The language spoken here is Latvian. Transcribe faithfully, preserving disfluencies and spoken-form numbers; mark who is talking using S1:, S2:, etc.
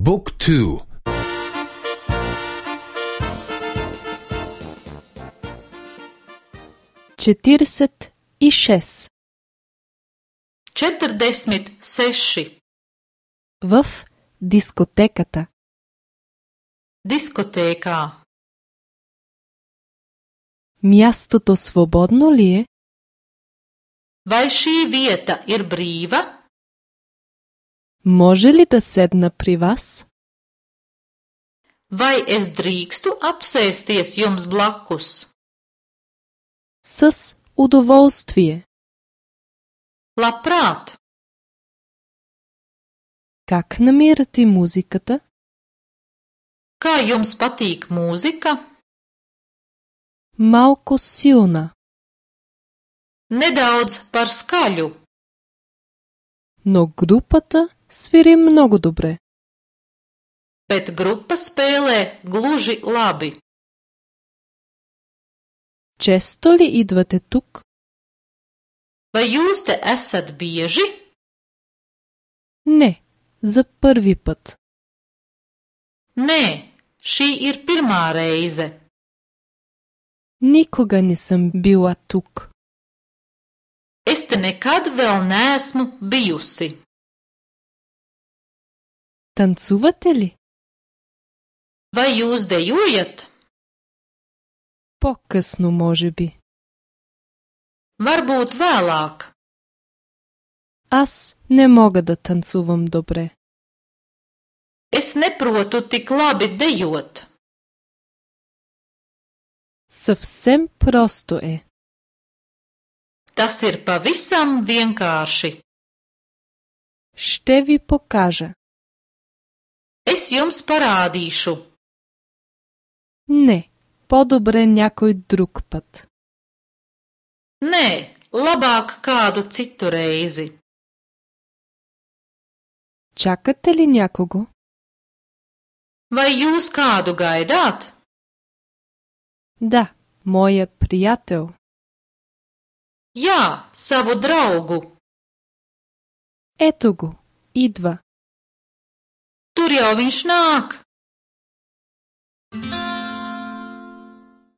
S1: บุ๊กทู
S2: četrdeset i šest.
S3: Četrdesmit seši.
S2: В дискотеката.
S3: Diskotēkā.
S2: Мястото свободно ли е?
S3: Vai šī vieta ir brīva?
S2: Може ли да седна при вас?
S3: Vai es drīkstu apsēsties jums blakus?
S2: С удоволствие.
S3: Labprāt!
S2: Как намирате музиката?
S3: Kā jums patīk mūzika?
S2: Малко силна,
S3: Nedaudz par skaļu,
S2: но групата свири много добре.
S3: bet grupa spēlē gluži labi.
S2: Често ли идвате тук?
S3: Vai jūs te esat bieži?
S2: Не, за първи път.
S3: Nē, šī ir pirmā reize.
S2: Никога не съм била тук.
S3: Es te nekad vēl neesmu bijusi.
S2: Танцувате ли?
S3: Vai jūs dejojat?
S2: По-късно, може би.
S3: Varbūt vēlāk.
S2: Аз не мога да танцувам добре.
S3: Es neprotu tik labi dejot.
S2: Съвсем просто е.
S3: Tas ir pavisam vienkārši.
S2: Ще ви покажа.
S3: Es jums parādīšu.
S2: Не, по-добре някой друг път.
S3: Nē, labāk kādu citu reizi.
S2: Чакате ли някого?
S3: Vai jūs kādu gaidāt?
S2: Да, моя приятел.
S3: Jā, savu draugu.
S2: Ето го, идва.
S3: Tur jau viņš nāk.